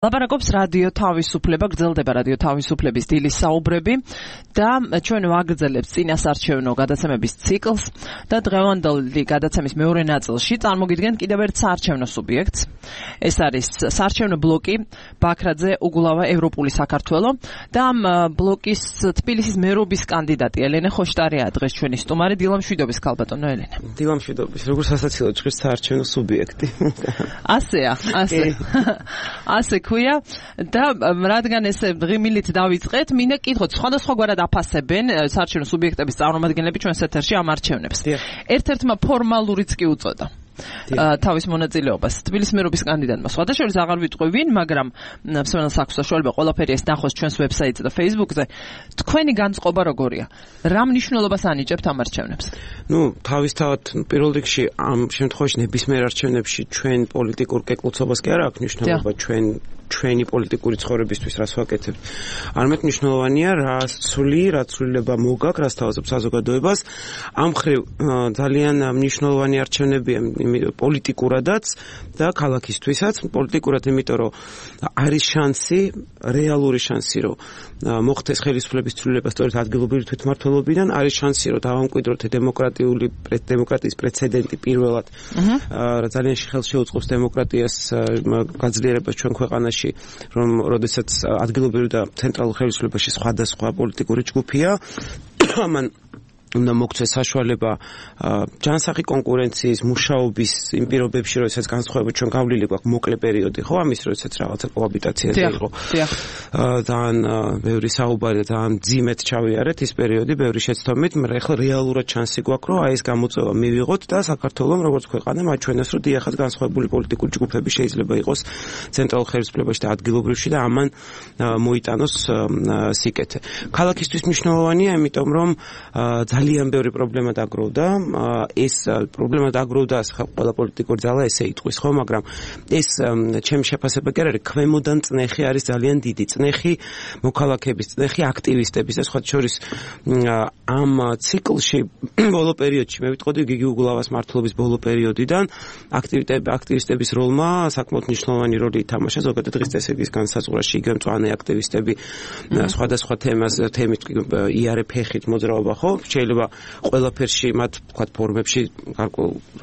ლაპარაკობს რადიო თავისუფლება, გრძელდება რადიო თავისუფლების დილის საუბრები და ჩვენ ვაგრძელებთ წინასარჩევნო გადაცემების ციკლს და დღევანდელი გადაცემის მეორე ნაწილში წარმოგიდგენთ კიდევ ერთ საარჩევნო სუბიექტს. ეს არის საარჩევნო ბლოკი ბაქრაძე უგულავა ევროპული საქართველო და ამ ბლოკის თბილისის მერობის კანდიდატი ელენე ხოშტარია დღეს ჩვენი სტუმარი. დილამშვიდობის ქალბატონო ელენე. დილამშვიდობის. როგორც სასაცილო ჭრის საარჩევნო სუბიექტი. ასეა, ასე ქვია და რადგან ესე დღიმილით დავიწყეთ, მინდა კითხოთ, სხვადასხვაგვარად აფასებენ საარჩევნო სუბიექტების წარმომადგენლები ჩვენს ეთერში ამ არჩევნებს. ერთ-ერთმა ფორმალურიც კი უწოდა თავის მონაწილეობას თბილისის მერობის კანდიდატმა. სხვადასხვა აღარ ვიტყვი ვინ, მაგრამ მსმენელს აქვს საშუალება ყველაფერი ეს ნახოს ჩვენს ვებსაიტზე და Facebook-ზე. თქვენი განწყობა როგორია? რა მნიშვნელობას ანიჭებთ ამ არჩევნებს? თავისთავად პირველ რიგში ამ შემთხვევაში ნებისმიერ არჩევნებში ჩვენ პოლიტიკურ კეკლუცობას კი არ აქვს მნიშვნელობა, ჩვენი პოლიტიკური ცხოვრებისთვის რას ვაკეთებთ. არამედ მნიშვნელოვანია რა ცვლილება მოგაქვს, რა სთავაზობს საზოგადოებას. ამ მხრივ ძალიან მნიშვნელოვანი არჩევნებია პოლიტიკურადაც და ქალაქისთვისაც. პოლიტიკურად, იმიტომ რომ არის შანსი, რეალური შანსი, რომ მოხდეს ხელისუფლების ცვლილება სწორედ ადგილობრივი თვითმმართველობიდან, არის შანსი, რომ დავამკვიდროთ დემოკრატიის პრეცედენტი პირველად, ძალიან ხელს შეუწყობს დემოკრატიას გაძლიერებას ჩვენ ქვეყანაში, რომ როდესაც ადგილობრივი და ცენტრალურ ხელისუფლებაში სხვადასხვა პოლიტიკური ჯგუფია, ამან უნდა მოგვცეს საშუალება ჯანსაღი კონკურენციის, მუშაობის იმ პირობებში, როდესაც განსხვავებით ჩვენ გავლილი გვაქვს მოკლე პერიოდი, ხო, ამის როდესაც რაღაცა კოაბიტაციაზე იყო. ძალიან ბევრი საუბარი და ძალიან ძიმეთ ჩავიარეთ ის პერიოდი, ბევრი შეცდომით, მაგრამ ახლა რეალურად შანსი გვაქვს, რომ ეს გამოწვევა მივიღოთ და საქართველოს როგორც ქვეყანა მათ ჩვენას რომ დიახაც განსხვავებული პოლიტიკური ჯგუფები შეიძლება იყოს ცენტრალურ ხელისუფლებაში და ადგილობრივში და ამან მოიტანოს სიკეთე. ქალაქისთვის მნიშვნელოვანია, იმიტომ რომ ძალიან ბევრი პრობლემა დაგროვდა. ეს პრობლემა დაგროვდა ყველა პოლიტიკური ძალა ესე იტყვის, ხო, მაგრამ ეს ჩემი შეფასება კი არ არის, ქვემოდან წნეხი არის ძალიან დიდი. წნეხი მოქალაქეების, წნეხი აქტივისტების და სხვა შორის ამ ციკლში ბოლო პერიოდში მე ვიტყოდი გიგი უგულავას მმართველობის ბოლო პერიოდიდან აქტივისტების როლმა საკმაოდ მნიშვნელოვანი როლი ითამაშა ზოგადად დღის წესრიგის განსაზღვრაში. იგივე მწვანე აქტივისტები სხვადასხვა თემით იარე ფეხით მოძრაობა, ხო? შეიძლება ყველაფერში მათ ვთქვათ ფორმებში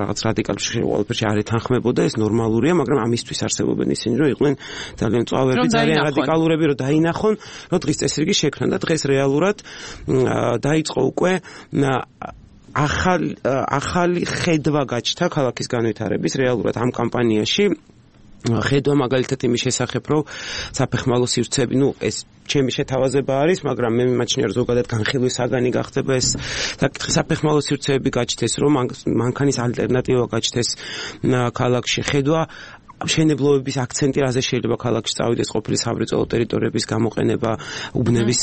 რაღაც რადიკალში ყველაფერში არ ეთანხმებოდა, ეს ნორმალურია, მაგრამ ამისთვის არსებობენ ისინი, რომ იყვნენ ძალიან მწვავეები, ძალიან რადიკალურები, რომ დაინახონ, რომ დღის წესრიგი შექმნა და დღეს რეალურად დაიწყო უკვე ახალი ხედვა გაჩნდა ქალაქის განვითარების რეალურად ამ კამპანიაში. ხედვა მაგალითად იმის შესახებ, რომ საფეხმავლო სივრცეები, ეს ჩემი შეთავაზება არის, მაგრამ მე მიმაჩნია, რომ ზოგადად განხილვის საგანი გახდება ეს საკითხი. საფეხმავლო სივრცეები გაჩნდეს, რომ მანქანის ალტერნატივა გაჩნდეს ქალაქში. ხედვა მშენებლობების აქცენტი რაზე შეიძლება ქალაქში წავიდეს, ყოფილი სამრეწველო ტერიტორიების გამოყენება, უბნების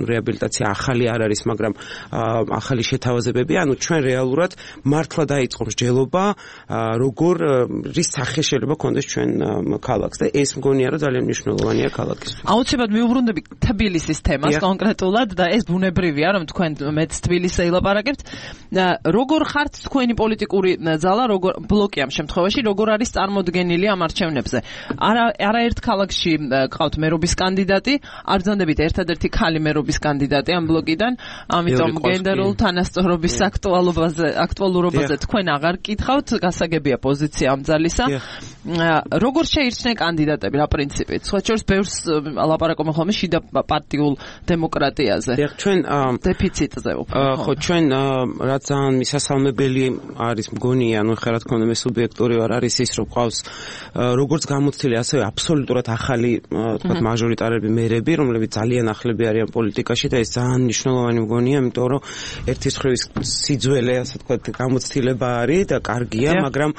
რეაბილიტაცია ახალი არ არის, მაგრამ ახალი შეთავაზებები, ჩვენ რეალურად მართლა დაიწყო მსჯელობა, რის სახე შეიძლება კონდეს ჩვენ ქალაქს და ეს მგონია, რომ ძალიან მნიშვნელოვანია ქალაქისთვის. აუცილებლად მიუბრუნდები თბილისის თემას კონკრეტულად და ეს ბუნებრივია, რომ თქვენ მეც თბილისზე ილაპარაკებთ. როგორ ხართ თქვენი პოლიტიკური ძალა, ბლოკი ამ შემთხვევაში, როგორ არის წარმოდგენილი ამ არჩევნებზე? არაერთ ქალაქში ყავთ მერობის კანდიდატი, არ ბრძანდებით ერთადერთი ქალი მერობის კანდიდატი ამ ბლოკიდან, ამიტომ გენდერულ თანასწორობის აქტუალურობაზე თქვენ აღარ კითხავთ, გასაგებია პოზიცია ამ ძალისა. როგორ შეირჩნენ კანდიდატები რა პრინციპით? სხვა შორის ბევრს ლაპარაკობენ ხოლმე შიდა პარტიულ დემოკრატიაზე. ჩვენ დეფიციტზე უფრო. ხო, ჩვენ რაც ძალიან მისასალმებელი არის მგონია, ხა რა თქმა უნდა მე სუბიექტური ვარ, არის ის, რომ ყავს როგორც გამოცდილი, ასევე აბსოლუტურად ახალი, თქვათ, მაჟორიტარები მერები, რომლებიც ძალიან ახლები არიან პოლიტიკაში და ეს ძალიან მნიშვნელოვანი მგონია, იმიტომ რომ ერთის მხრივ სიძველე, ასე თქვათ, გამოცდილება არის და კარგია, მაგრამ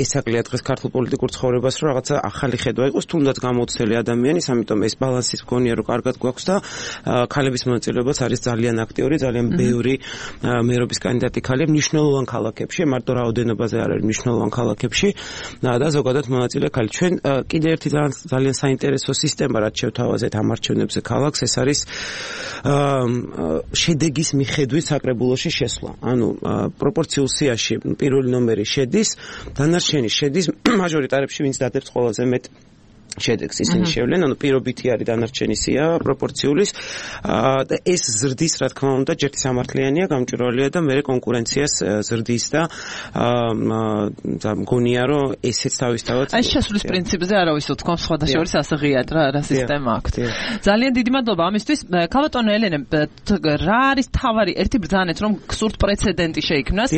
ესაკლია დღეს ქართულ პოლიტიკურ ცხოვრებას, რომ რაღაცა ახალი ხედვა იყოს, თუნდაც გამოცდილი ადამიანის, ამიტომ ეს ბალანსის მგონია, რომ კარგად გვაქვს და ქალების მონაწილეობაც არის ძალიან აქტიური, ძალიან ბევრი მერობის კანდიდატი ქალია მნიშვნელოვან ქალაქებში, მარტო რაოდენობაზე არ არის მნიშვნელოვან ქალაქებში და ზოგადად მონაწილე ქალი. ჩვენ კიდევ ერთი ძალიან საინტერესო სისტემა რაც შევთავაზეთ ამ არჩევნებზე ქალაქს, ეს არის შედეგის მიხედვით საკრებულოში შესვლა. ანუ პროპორციულ სიაში პირველი ნომერი შედის, დანარჩენი შედის მაჟორიტარებში, ვინც დადებს ყველაზე მეტ შედეგს ისინი შევლენ, ანუ პირობითი არის დანარჩენი სია პროპორციულის და ეს ზრდის, რა თქმა უნდა, ჯერთი სამართლიანია, გამჭვირვალეა და მე კონკურენციას ზრდის და მგონია, რომ ესეც თავისთავად აი შესulis პრინციპზე არავის უთქვა სხვადასხვა ასე ღიად რა სისტემა აქვს. ძალიან დიდი მადლობა ამისთვის. ქალბატონო ელენე, რა არის თავარი ერთი ბრძანეთ, რომ გსურთ პრეცედენტი შეიქმნას.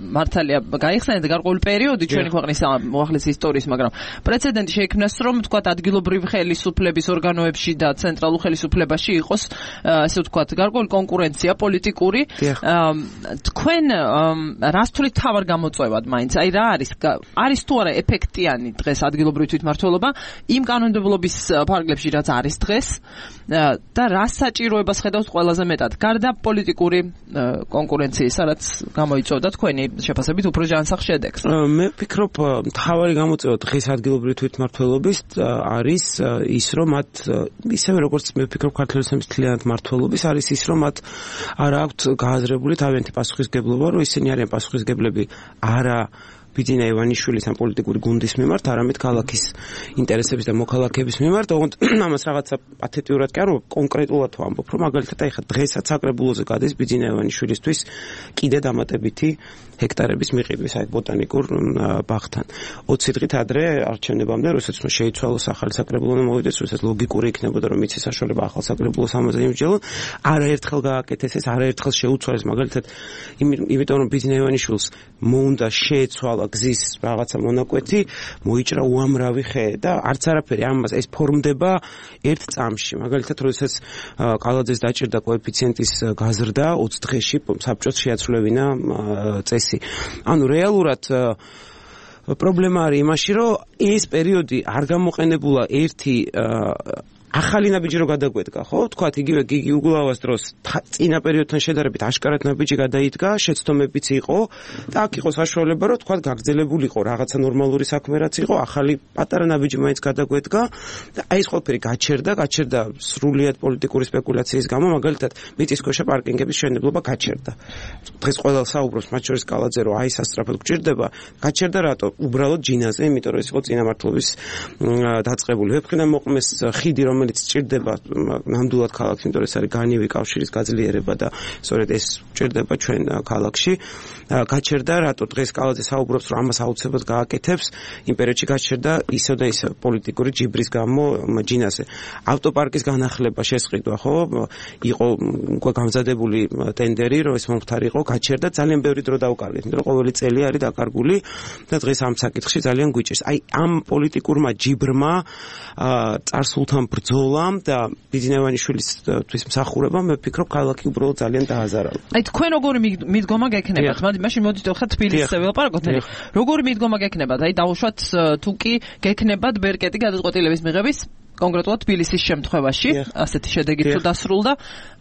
მართალია, გაიხსენეთ გარკვეული პერიოდი ჩვენი ქვეყნის უახლესი ისტორიის, მაგრამ პრეცედენტი შეიქმნას, რომ თქვათ ადგილობრივი ხელისუფლების ორგანოებში და ცენტრალურ ხელისუფლებაში იყოს ასე ვთქვათ გარკვეული კონკურენცია პოლიტიკური. თქვენ რას თulit თავარ გამოწვევად მაინც? აი რა არის თუ არა ეფექტიანი დღეს ადგილობრივი თვითმმართველობა იმ კანონმდებლობის ფარგლებში რაც არის დღეს და რას საჭიროებას ხედავთ ყველაზე მეტად? გარდა პოლიტიკური კონკურენციისა, რაც გამოიწვევდა თქვენი შეფასებით უფრო ჯანსაღ შედეგს. მე ვფიქრობ, თავარი გამოწვევა დღეს ადგილობრივი თვითმმართველობის არის ის, რომ მათ ისევე როგორც მე ვფიქრობ ქართლების მთლიანად მმართველობის არის ის, რომ მათ არ აქვთ გააზრებული თავიანთი პასუხისგებლობა, რომ ისინი არიან პასუხისგებლები არა ბიძინა ივანიშვილის ამ პოლიტიკური გუნდის მიმართ, არამედ ქალაქის ინტერესების და მოქალაქეების მიმართ. ოღონდ ამას რაღაცა პათეტიურად კი არ კონკრეტულად ვამბობ, რომ მაგალითად აი ხა დღესაც საკრებულოზე გადის ბიძინა ივანიშვილისთვის კიდე დამატებითი ჰექტარების მიყიდვის აი ბოტანიკურ ბაღთან. 20 დღით ადრე არჩევნებამდე, როდესაც შეიცვალოს ახალი საკრებულო და მოვიდეს, როდესაც ლოგიკური იქნებოდა, რომ იცის საშუალება ახალ საკრებულოს ამაზე იმსჯელონ, არაერთხელ გააკეთეს ეს, არაერთხელ შეუცვალეს მაგალითად იმიტომ რომ ბიძინა ივანიშვილს მოუნდა შეეცვალა გზის რაღაცა მონაკვეთი, მოიჭრა უამრავი ხე და არც არაფერი ამას ეს ფორმდება ერთ წამში. მაგალითად, როდესაც კალაძეს დაჭირდა კოეფიციენტის გაზრდა 20 დღეში საბჭოს შეაცვლევინა წესი. ანუ რეალურად პრობლემა არის იმაში, რომ ეს პერიოდი არ გამოყენებულა ერთი ახალი ნაბიჯი რო გადაგვედგა, ხო? თქვათ იგივე გიგი უგულავას დროს წინა პერიოდთან შედარებით აშკარად ნაბიჯი გადაიდგა, შეცდომებიც იყო და აქ იყო საშუალება, რომ თქვათ გაგრძელებულიყო რაღაცა ნორმალური საქმე რაც იყო, ახალი პატარა ნაბიჯი მაინც გადაგვედგა და აი ეს ყველაფერი გაჩერდა სრულიად პოლიტიკური სპეკულაციის გამო, მაგალითად მიწისქვეშა პარკინგების მშენებლობა გაჩერდა. დღეს ყველა საუბრობს, მათ შორის კალაძე, რომ აი სასწრაფოდ გჭირდება, გაჩერდა რატო? უბრალოდ ჯინაზე, იმიტომ რომ ეს იყო წინა მმართველობის დაწყებული. ვეფხინა მოყმეს ხიდი, რომელიც ჭირდება ნამდვილად ქალაქში, იმიტომ რომ ეს არის განივი კავშირის გაძლიერება და სწორედ ეს ჭირდება ჩვენ ქალაქში. გაჩერდა რატო? დღეს კალაძე საუბრობს, რომ ამას აუცილებლად გააკეთებს. იმ პერიოდში გაჩერდა ისევ და ისევ პოლიტიკური ჯიბრის გამო ჯინაზე. ავტოპარკის განახლება შესყიდვა, ხო? იყო უკვე გამზადებული ტენდერი, რომ ეს მომხდარიყო, გაჩერდა, ძალიან ბევრი დრო დაუკარგეთ, იმიტომ რომ ყოველი წელი არის დაკარგული და დღეს ამ საკითხში ძალიან გვიჭირს. აი ამ პოლიტიკურმა ჯიბრმა წარსულთან ბრძოლამ და ბიძინა ივანიშვილის თვის მსახურებამ მე ვფიქრობ ქალაქი უბრალოდ ძალიან დააზარალა. აი თქვენ როგორი მიდგომა გექნებათ? მაშინ მოდით ხა თბილისზე ველაპარაკოთ. როგორი მიდგომა გექნებათ? აი დაუშვათ თუ კი გექნებათ ბერკეტი გადაწყვეტილების მიღების კონკრეტულად თბილისის შემთხვევაში, ასეთი შედეგი თუ დასრულდა.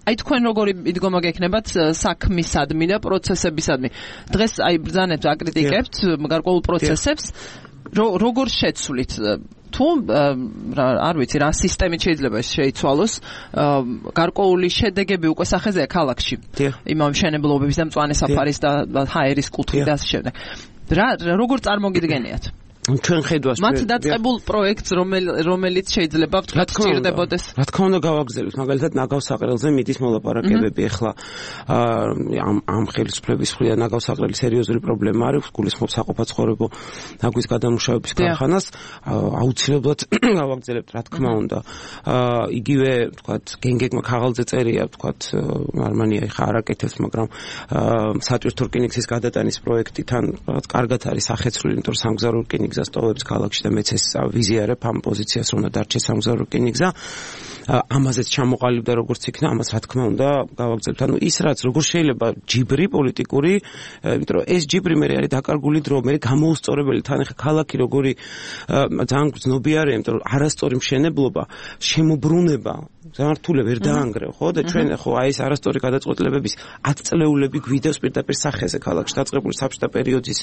აი თქვენ როგორი მიდგომა გექნებათ საქმისადმი და პროცესებისადმი? დღეს აი ბრძანებთ, აკრიტიკებთ გარკვეულ პროცესებს, როგორ შეცვლით? თუ არ ვიცი რა სისტემით შეიძლება შეიცვალოს, გარკვეული შედეგები უკვე სახეზეა ქალაქში. იმავე მშენებლობების და მწვანე საფარის და ჰაერის კუთხით და ასე შემდეგ. როგორ წარმოგიდგენიათ? ჩვენ ხედავს მათ დაწყებულ პროექტს, რომელიც შეიძლება ვთქვათ სჭირდებოდეს. რა თქმა უნდა გავაგზავნოთ, მაგალითად ნაგავსაყრელზე მიდის მოლაპარაკებები ახლა ამ ხელისუფლების მხრიდან ნაგავსაყრელი სერიოზული პრობლემა არის, გულისხმობს საყოფაცხოვრებო ნაგვის გადამუშავების ქარხანას, აუცილებლად გავაგზავნებთ, რა თქმა უნდა. იგივე ვთქვათ გენგეგმა ქაღალდზე წერია, ვთქვათ გერმანია ხა არაკეთებს, მაგრამ სატვირთო რკინიგზის გადატანის პროექტი თან კარგად არის სახეცვლილი, იმიტომ რომ სამგზავრო რკინიგზა სტოვებს ქალაქში და მეც ეს ვიზიარებ ამ პოზიციას, რომ უნდა დარჩეს სამგზავრო რკინიგზა. ამაზეც ჩამოყალიბდა როგორც იქნა, ამას რა თქმა უნდა გავაგზავნებთ. ანუ ის რაც როგორ შეიძლება ჯიბრი პოლიტიკური, იმიტომ რომ ეს ჯიბრი მე არის დაკარგული დრო, მე გამოუსწორებელი თან ახლა ქალაქი როგორი ძალიან გრძნობიარეა, იმიტომ რომ არასწორი მშენებლობა, შემოbrunება ზართულე ვერ დაანგრევ, ხო? და ჩვენ ხო აი ეს არასწორი გადაწყვეტილებების 10 წლეულები გვიდევს პირდაპირ სახეზე ქალაქში დაწყებული საბჭოთა პერიოდის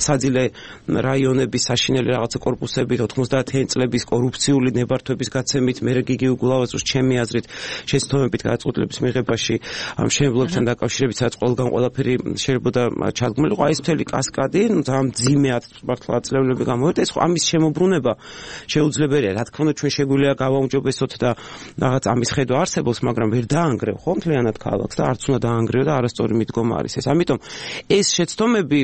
საძილე რაიონების საშინელი რაღაცა კორპუსებით 90-იან წლების კორუფციული ნებართვების გაცემით მე გიგიუ გულავაზოს ჩემი აზრით შეცდომებით გადაწყვეტილების მიღებაში ამ შემებლობთან დაკავშირებით სადაც ყველგან ყველაფერი შეიძლება ჩადგმულიყო აი ეს მთელი კასკადი ძალიან ძიმე მართლა წლეულები გამოვიდა ეს ხო ამის შემოbrunება შეუძლებელია რა თქმა უნდა ჩვენ შეგვიძლია გავაუმჯობესოთ და რაღაც ამის ხედვა არსებობს მაგრამ ვერ დაანგრევ ხო მთლიანად ქალაქს და არც უნდა დაანგრევ და არასწორი მიდგომა არის ეს ამიტომ ეს შეცდომები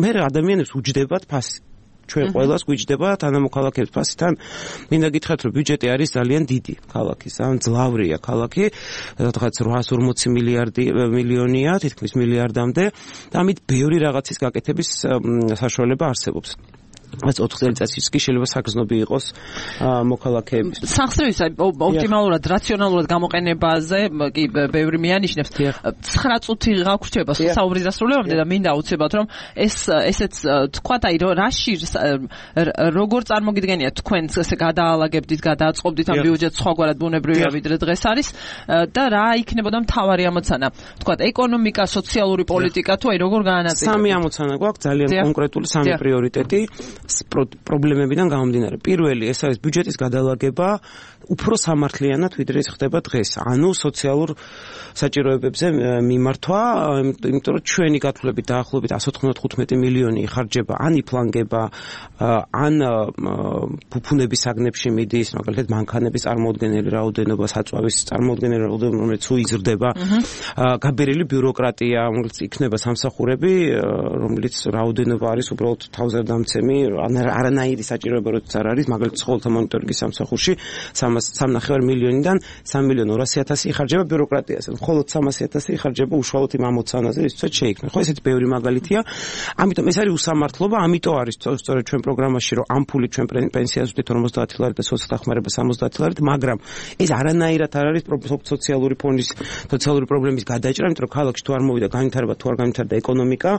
მე ადამიანებს უჯდებათ ფასი ჩვენ ყველას გვიჯდება თანამოქალაქეებს ფასიდან მინდა გითხრათ რომ ბიუჯეტი არის ძალიან დიდი ქალაქის ან ძლავრია ქალაქი რაღაც 840 მილიონია თითქმის მილიარდამდე და ამით ბევრი რაღაცის გაკეთების საშუალება არსებობს ეს 4 წელიწადში კი შეიძლება საგრძნობი იყოს მოქალაქეების. სახსრების ოპტიმალურად, რაციონალურად გამოყენებაზე კი ბევრი მიანიშნებს. 9 წუთი გაგვრჩება საუბრის დასრულებამდე და მინდა აუცილებლად რომ ესეც თქვათ აი რაში როგორ წარმოგიდგენიათ თქვენ ესე გადააალაგებდით, გადააწყობდით ამ ბიუჯეტს სხვაგვარად ბუნებრივია ვიდრე დღეს არის და რა იქნებოდა მთავარი ამოცანა? თქვათ ეკონომიკა, სოციალური პოლიტიკა თუ აი როგორ გაანაწილებთ? სამი ამოცანა გვაქვს ძალიან კონკრეტული სამი პრიორიტეტი. პრობლემებიდან გამომდინარე. პირველი ეს არის ბიუჯეტის გადალაგება უფრო სამართლიანად ვიდრე ის ხდება დღეს. ანუ სოციალურ საჭიროებებზე მიმართვა, იმიტომ რომ ჩვენი გათვლებით დაახლოებით 195 მილიონი იხარჯება ან იფლანგება, ან ფუფუნების საგნებში მიდის, მაგალითად მანქანების წარმოუდგენელი რაოდენობა, საწვავის წარმოუდგენელი რაოდენობა, რომელიც უიზრდება, გაბერილი ბიუროკრატია, რომელიც იქნება სამსახურები, რომელიც რაოდენობა არის უბრალოდ თავზევდამცემი, არანაირი საჭიროება როცა არ არის, მაგალითად ცხოველთა მონიტორინგის სამსახურში 3.5 მილიონიდან 3.200.000 იხარჯება ბიუროკრატიაზე. მხოლოდ 300.000 იხარჯება უშუალოდ იმ ამოცანაზე, რითაც შეიქმნა. ხო, ესეთი ბევრი მაგალითია. ამიტომ ეს არის უსამართლობა, ამიტომ არის სწორედ ჩვენ პროგრამაში, რომ ამ ფულით ჩვენ პენსიას ვდით 50 ლარი და სოციალდახმარება 70 ლარით, მაგრამ ეს არანაირად არ არის სოციალური ფონის, სოციალური პრობლემის გადაჭრა, იმიტომ რომ ქალაქში თუ არ მოვიდა განვითარება, თუ არ განვითარდა ეკონომიკა,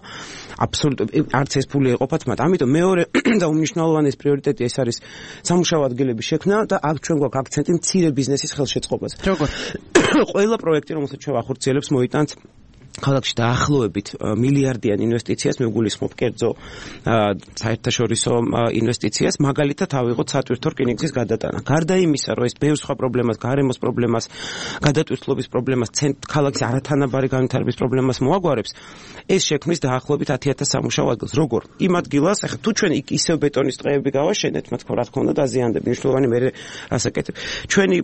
აბსოლუტურად არც ეს ფული ეყოფათ მათ. ამიტომ მეორე და უმნიშვნელოვანესი პრიორიტეტი ეს არის სამუშაო ადგილების შექმნა და აქ ჩვენ გვაქვს აქცენტი მცირე ბიზნესის ხელშეწყობაზე. როგორ? ყველა პროექტი, რომელსაც ჩვენ ვახორციელებთ, მოიტანს ქალაქში დაახლოებით მილიარდიან ინვესტიციას, მე ვგულისხმობ კერძო საერთაშორისო ინვესტიციას, მაგალითად ავიღოთ სატვირთო რკინიგზის გადატანა. გარდა იმისა, რომ ეს ბევრ სხვა პრობლემას, გარემოს პრობლემას, გადატვირთულობის პრობლემას, ქალაქის არათანაბარი განვითარების პრობლემას მოაგვარებს, ეს შექმნის დაახლოებით 10,000 სამუშაო ადგილს. როგორ? იმ ადგილას, ახლა თუ ჩვენ ისევ ბეტონის ტყეები გავაშენეთ, მათ რა თქმა უნდა დაზიანდება, მნიშვნელოვანი მე რასაკეთებ. ჩვენი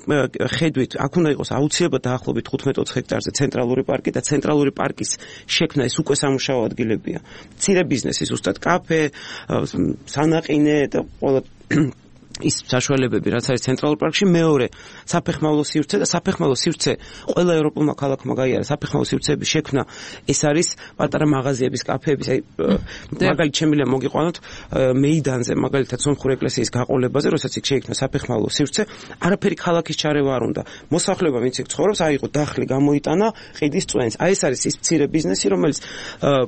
ხედვით, აქ უნდა იყოს აუცილებლად დაახლოებით 15-20 ჰექტარზე ცენტრალური პარკი და ცენტრალური პარკის შექმნა ეს უკვე სამუშაო ადგილებია. მცირე ბიზნესი, ზუსტად კაფე, სანაყინე და ყველა ის საშუალებები, რაც არის ცენტრალურ პარკში, მეორე საფეხმავლო სივრცე და საფეხმავლო სივრცე ყველა ევროპულმა ქალაქმა გაიარა საფეხმავლო სივრცეების შექმნა. ეს არის პატარა მაღაზიების, კაფეების, აი მაგალითად შემიძლია მოგიყვანოთ მეიდანზე, მაგალითად სომხური ეკლესიის გაყოლებაზე, როდესაც იქ შეიქმნა საფეხმავლო სივრცე, არაფერი ქალაქის ჩარევა არ უნდა. მოსახლეობა ვინც იქ ცხოვრობს, აიღო დახლი, გამოიტანა ყიდის წვენს. აი ეს არის ის მცირე ბიზნესი, რომელიც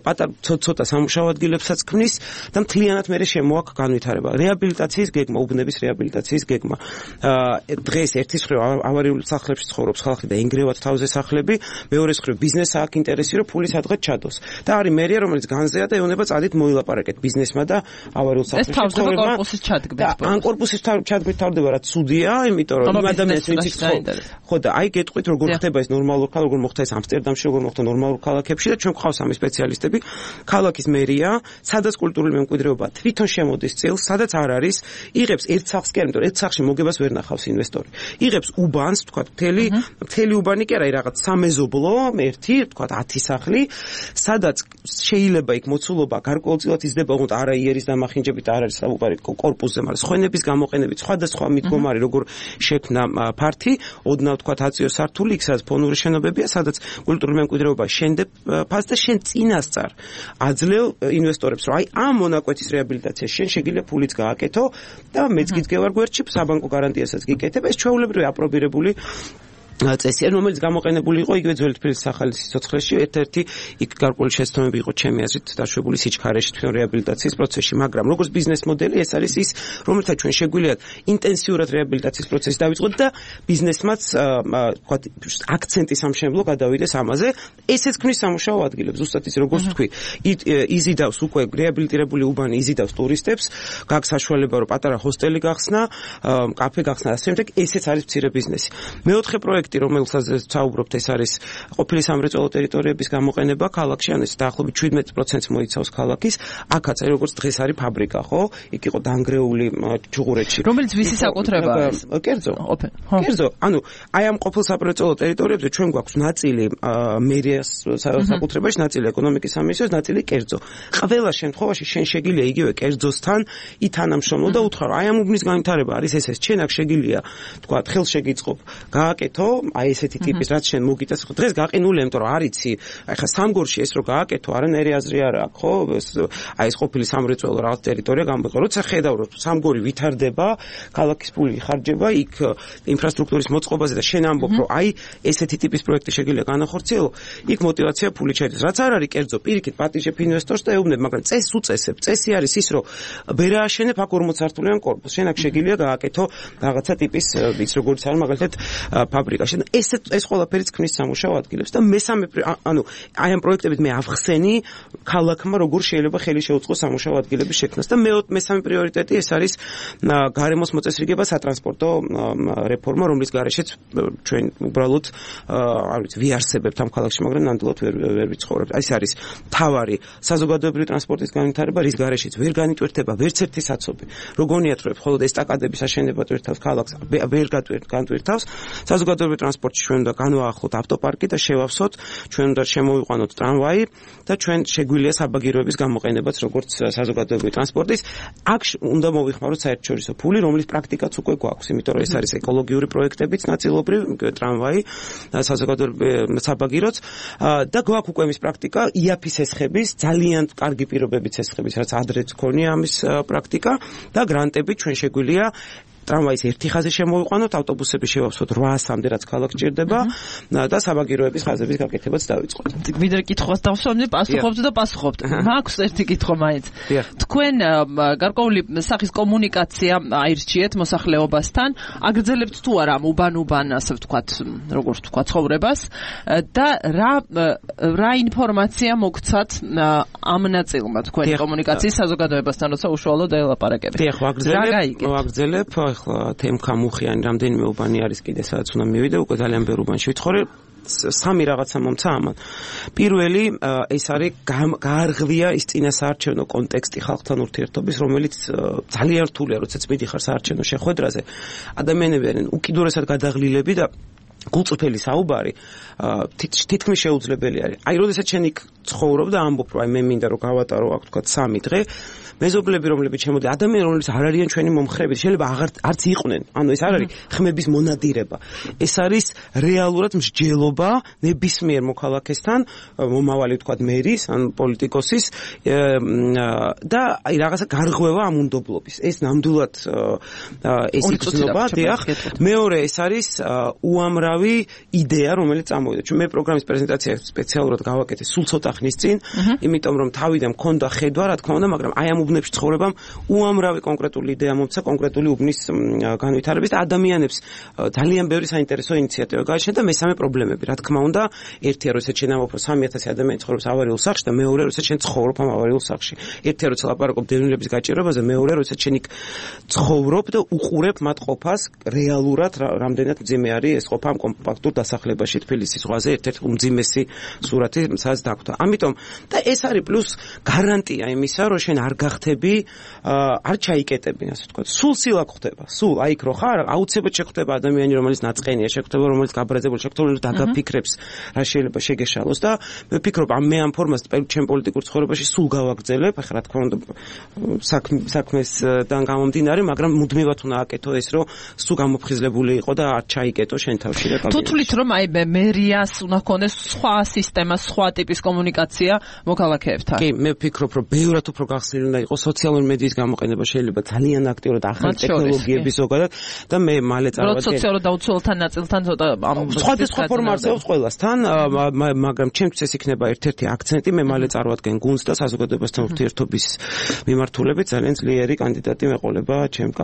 პატარა ცოტა სამუშაო ადგილებსაც ქმნის და მთლიანად მერე შემოაქვს განვითარება. რეაბილიტაციის გეგმა, უბნების რეაბილიტაციის გეგმა. დღეს ერთის მხრივ ავარიულ სახლებში ცხოვრობს ხალხი და ენგრევათ თავზე სახლები, მეორეს მხრივ ბიზნესს აქვს ინტერესი, რომ ფული სადღაც ჩადოს. და არის მერია, რომელიც განზეა და ეუბნება წადით მოილაპარაკეთ ბიზნესმა და ავარიულ სახლებში. ეს თავდება კორპუსის ჩადგმით. ან კორპუსის ჩადგმით თავდება, რაც ცუდია, იმიტომ რომ იმ ადამიანს ვინც იქ ცხოვრობს. ხო და აი გეტყვით როგორ ხდება ეს ნორმალურ ქალაქ, როგორ მოხდა ეს ამსტერდამში, როგორ მოხდა ნორმალურ ქალაქებში და ჩვენ გვყავს ამის სპეციალისტები. ქალაქის მერია, სადაც კულტურული მემკვიდრეობა თვითონ შემოდის წილს, სადაც არ არის, იღებს ერთ სახს კი არ, იმიტომ ერთ სახში მოგებას ვერ ნახავს ინვესტორი. იღებს უბანს, თქვათ, მთელი უბანი კი არა, რაღაც სამეზობლო, ერთი, თქვათ 10 სახლი, სადაც შეიძლება იქ მოცულობა გარკვეულწილად იზრდება, თუმცა არა იერის დამახინჯებით არ არის საუბარი კორპუსზე, მაგრამ სხვენების გამოყენებით, სხვადასხვა მიდგომარი, როგორ შექმნა ფართი, ოდნავ თქვათ აწიო სართული, იქ სადაც ფონური შენობებია, სადაც კულტურული მემკვიდრეობა შენდებ ფასს და შენ წინასწარ აძლევ ინვესტორებს, რომ აი ამ მონაკვეთის რეაბილიტაციაში შენ შეგიძლია ფულიც გააკეთო და მეც გიდგევარ გვერდში საბანკო გარანტიასაც გიკეთებ, ეს ჩვეულებრივი აპრობირებული წესი, რომელიც გამოყენებული იყო იგივე ძველი თბილისის ახალი სიცოცხლეში, ერთ-ერთი იქ გარკვეული შეცდომები იყო ჩემი აზრით დაშვებული სიჩქარეში თვითონ რეაბილიტაციის პროცესში, მაგრამ როგორც ბიზნეს მოდელი ეს არის ის, რომელთა ჩვენ შეგვიძლია ინტენსიურად რეაბილიტაციის პროცესი დავიწყოთ და ბიზნესმაც ვთქვათ აქცენტი სამშენებლო გადავიდეს ამაზე, ესეც ქმნის სამუშაო ადგილებს, ზუსტად ის როგორც თქვი, იზიდავს უკვე რეაბილიტირებული უბანი იზიდავს ტურისტებს, გაქვს საშუალება რომ პატარა ჰოსტელი გახსნა, კაფე გახსნა და ასე შემდეგ, ესეც არის მცირე ბიზნესი. მეოთხე პროექტი, რომელსაც საუბრობთ, ეს არის ყოფილი სამრეწველო ტერიტორიების გამოყენება ქალაქში, ან ეს დაახლოებით 17% მოიცავს ქალაქის. აქაც როგორც დღეს არის ფაბრიკა, ხო? იქ იყო დანგრეული ჩუღურეთში. რომელიც ვისი საკუთრებაა ეს? კერძო. კერძო. ანუ აი ამ ყოფილ სამრეწველო ტერიტორიებზე ჩვენ გვაქვს ნაწილი მერიას საკუთრებაში, ნაწილი ეკონომიკის სამინისტროს, ნაწილი კერძო. ყველა შემთხვევაში შენ შეგიძლია იგივე კერძოსთან ითანამშრომლო და უთხრა, აი ამ უბნის განვითარება არის ეს, ჩვენ აქ შეგიძლია, თქვა, ხელს შეგიწყობ, გააკეთო, აი ესეთი ტიპის რაც შენ მოგიტას, დღეს გაყინული, იმიტომ რომ არიცი, აი ხა სამგორში ეს რო გააკეთო, არანაირი აზრი არ აქვს, ხო? აი ეს ყოფილი სამრეწველო რაღაც ტერიტორია გამოიყო. როცა ხედავ რომ სამგორი ვითარდება, ქალაქის ფული იხარჯება, იქ ინფრასტრუქტურის მოწყობაზე და შენ ამბობ, რომ აი ესეთი ტიპის პროექტი შეგიძლია განახორციელო, იქ мотиваცია ფული შედის. რაც არ არის კერძო, პირიქით პატიჟებ ინვესტორს და ეუბნებ, მაგრამ წესს უწესებ. წესი არის ის, რომ ვერ ააშენებ აქ 40 სართულიან კორპუსს. შენ აქ შეგიძლია გააკეთო რაღაცა ტიპის ის როგორც არის მაგალითად ფაბრიკაში. ეს ყველაფერიც ქმნის სამუშაო ადგილებს და მესამე ანუ აი ამ პროექტებით მე ავხსენი ქალაქმა როგორ შეიძლება ხელი შეუწყოს სამუშაო ადგილების შექმნას და მესამე პრიორიტეტი ეს არის გარემოს მოწესრიგება, სატრანსპორტო რეფორმა, რომლის გარეშეც ჩვენ უბრალოდ არ ვიცი ვიარსებებთ ამ ქალაქში, მაგრამ ნამდვილად ვერ ვიცხოვრებთ. ეს არის თავარი საზოგადოებრივი ტრანსპორტის განვითარება, რის გარეშეც ვერ განიტვირთება ვერც ერთი საცობი. როგორიათ რომ მხოლოდ ესტაკადების აშენება ტვირთავს ქალაქს, ვერ განტვირთავს. საზოგადოებრივი ტრანსპორტში ჩვენ უნდა განვაახლოთ ავტოპარკი და შევავსოთ, ჩვენ უნდა შემოვიყვანოთ ტრამვაი და ჩვენ შეგვიძლია საბაგიროების გამოყენებაც როგორც საზოგადოებრივი ტრანსპორტის. აქ უნდა მოვიხმაროთ საერთაშორისო ფული, რომლის პრაქტიკაც უკვე გვაქვს, იმიტომ რომ ეს არის ეკოლოგიური პროექტებიც ნაწილობრივ, ტრამვაი, საზოგადოებრივი საბაგიროც და გვაქვს უკვე ეს პრაქტიკა, იაფის ესხების, ძალიან კარგი პირობებით ესხების, რაც ადრეც ქონია ამის პრაქტიკა და გრანტები ჩვენ შეგვიძლია ტრამვაის ერთი ხაზი შემოვიყვანოთ, ავტობუსები შევავსოთ 800-მდე, რაც ქალაქს ჭირდება და საბაგიროების ხაზების გაკეთებაც დავიწყოთ. ვიდრე კითხვას დავსვამდი, პასუხობთ და პასუხობთ. მაქვს ერთი კითხვა მაინც. თქვენ გარკვეული სახის კომუნიკაცია აირჩიეთ მოსახლეობასთან, აგრძელებთ თუ არა უბან, ასე ვთქვათ, როგორც ვთქვა, ცხოვრებას და რა ინფორმაცია მოგცათ ამ ნაწილმა თქვენი კომუნიკაციის საზოგადოებასთან, როცა უშუალოდ ელაპარაკებით. დიახ, ვაგრძელებ ახლა თემქა მუხიანი რამდენიმე უბანი არის კიდე სადაც უნდა მივიდე, უკვე ძალიან ბევრ უბანში ვიცხოვრე. სამი რაღაცა მომცა ამან. პირველი ეს არის გაარღვია ის წინასაარჩევნო კონტექსტი ხალხთან ურთიერთობის, რომელიც ძალიან რთულია, როდესაც მიდიხარ საარჩევნო შეხვედრაზე. ადამიანები არიან უკიდურესად გადაღლილები და გულწრფელი საუბარი თითქმის შეუძლებელი არის. აი, როდესაც შენ იქ ცხოვრობ და ამბობ, რომ აი მე მინდა რომ გავატარო აქ თქვა 3 დღე, მეზობლები რომლებიც შემოდი, ადამიანები რომლებიც არ არიან ჩვენი მომხრეები, შეიძლება არც იყვნენ. ანუ ეს არ არის ხმების მონადირება. ეს არის რეალურად მსჯელობა ნებისმიერ მოქალაქესთან, მომავალი თქვა მერის ან პოლიტიკოსის და აი რაღაცა გარღვევა ამ უნდობლობის. ეს ნამდვილად ეს იგრძნობა, დიახ. მეორე ეს არის უამრავი იდეა, რომელიც წამოვიდა. ჩვენ მე პროგრამის პრეზენტაცია სპეციალურად გავაკეთე სულ ცოტა ხნის წინ, იმიტომ რომ თავიდან მქონდა ხედვა, რა თქმა უნდა, მაგრამ აი ამ უბნებში ცხოვრებამ უამრავი კონკრეტული იდეა მომცა კონკრეტული უბნის განვითარების და ადამიანებს ძალიან ბევრი საინტერესო ინიციატივა გააჩნია და მესამე პრობლემები. რა თქმა უნდა, ერთია როცა ჩვენ ამბობ, რომ 3000 ადამიანი ცხოვრობს ავარიულ სახლში და მეორე როცა ჩვენ ცხოვრობ ამ ავარიულ სახლში. ერთია როცა ლაპარაკობ დევნილების გაჭირვებაზე, მეორე როცა ჩვენ იქ ცხოვრობ და უყურებ მათ ყოფას რეალურად რამდენად მძიმე არის ეს ყოფა ამ კომპაქტურ დასახლებაში თბილისის ზღვაზე, ერთ-ერთი უმძიმესი სურათი სადაც დაგვდა. ამიტომ და ეს არის პლუს გარანტია იმისა, რომ შენ არ გახდები, არ ჩაიკეტები, ასე ვთქვათ. სულ სილაკ ხდება. სულ აი იქ რო ხარ, აუცილებლად შეხვდება ადამიანი, რომელიც ნაწყენია, შეხვდება რომელიც გაბრაზებული, შეხვდება რომელიც დაგაფიქრებს, რა შეიძლება შეგეშალოს და მე ვფიქრობ, მე ამ ფორმას ჩემ პოლიტიკურ ცხოვრებაში სულ გავაგრძელებ. ახლა რა თქმა უნდა საქმესთან გამომდინარე, მაგრამ მუდმივად უნდა აკეთო ეს, რომ სულ გამოფხიზლებული იყო და არ ჩაიკეტო შენ თავში და თუ თვლით რომ აი მერიას უნდა ქონდეს სხვა სისტემა, სხვა ტიპის კომუნიკაცია მოქალაქეებთან. კი, მე ვფიქრობ, რომ ბევრად უფრო გახსნილი უნდა იყოს სოციალური მედიის გამოყენება, შეიძლება ძალიან აქტიურად ახალი ტექნოლოგიების ზოგადად და მე მალე წარმოვადგენ. სოციალურ დაუცველთან ნაწილთან ცოტა სხვადასხვა ფორმა არსებობს ყველასთან, მაგრამ ჩემთვის ეს იქნება ერთ-ერთი აქცენტი, მე მალე წარმოვადგენ გუნდს და საზოგადოებასთან ურთიერთობის მიმართულებით ძალიან ძლიერი კანდიდატი მეყოლება ჩემ